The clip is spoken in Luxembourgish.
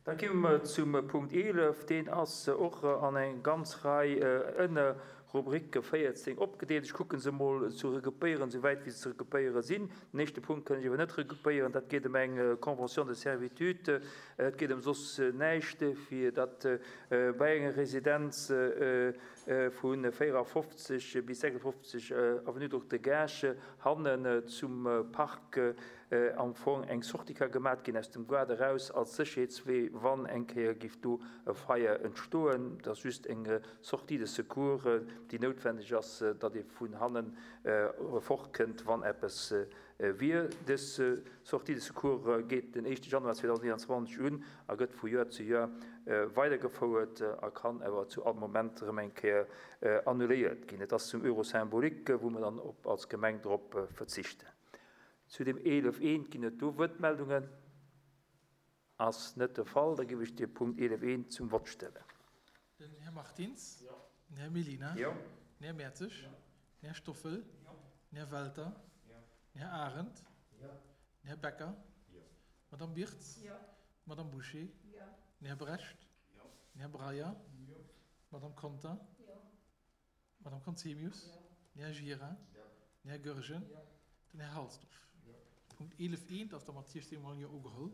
Da komme mer zum Punkt 11. Deen ass och an eng ganz Rei Ënnerrubricke 14 opgedeelt. Ech kucke se emol ze regroupéieren, esouwäit wéi se ze regroupéiere sinn. Den éischte Punkt kënn ech awer net regroupéieren. Dat geet ëm eng Convention de servitude. Et geet ëm soss näischt, fir datt bei enger Residenz vu 54 bis 56 Avenue Dr. Gaasch hannen zum Park am Fong eng Sortie ka gemat ginn aus dem Gaart eraus als Sécherheetswee, wann eng Kéier géif do e Feier entstoen. Et ass just eng Sortie de secours, déi noutwendeg ass, datt ee vun hannen fortkënnt, wann eppes wier. Dës Sortie de secours geet den éischte Januar 2021 un a gëtt vu Joer zu Joer weidergefouert a kann awer zu all Moment erëm eng Kéier annuléiert ginn. Et ass zum Euro symbolique, wou mer dann als Gemeng drop verzichten. Zu dem 11 eent ginn et do Wuertmeldungen? Ass net de Fall. Da géif ech de Punkt 11 eent zum Vott stellen. Den Här Martins. Den Här Mellina. Den Här Mertzig. Den Här Stoffel. Den Här Welter. Den Här Arendt. Den Här Becker. D'Madame Birtz. D'Madame Bouché. Den Här Brecht. Den Här Breyer. D'Madame Conter. D'Madame Conzemius, den Här Gira, den Här Goergen, den Här Halsdorf. Punkt 11 eent ass da mat 16 mol Jo ugeholl.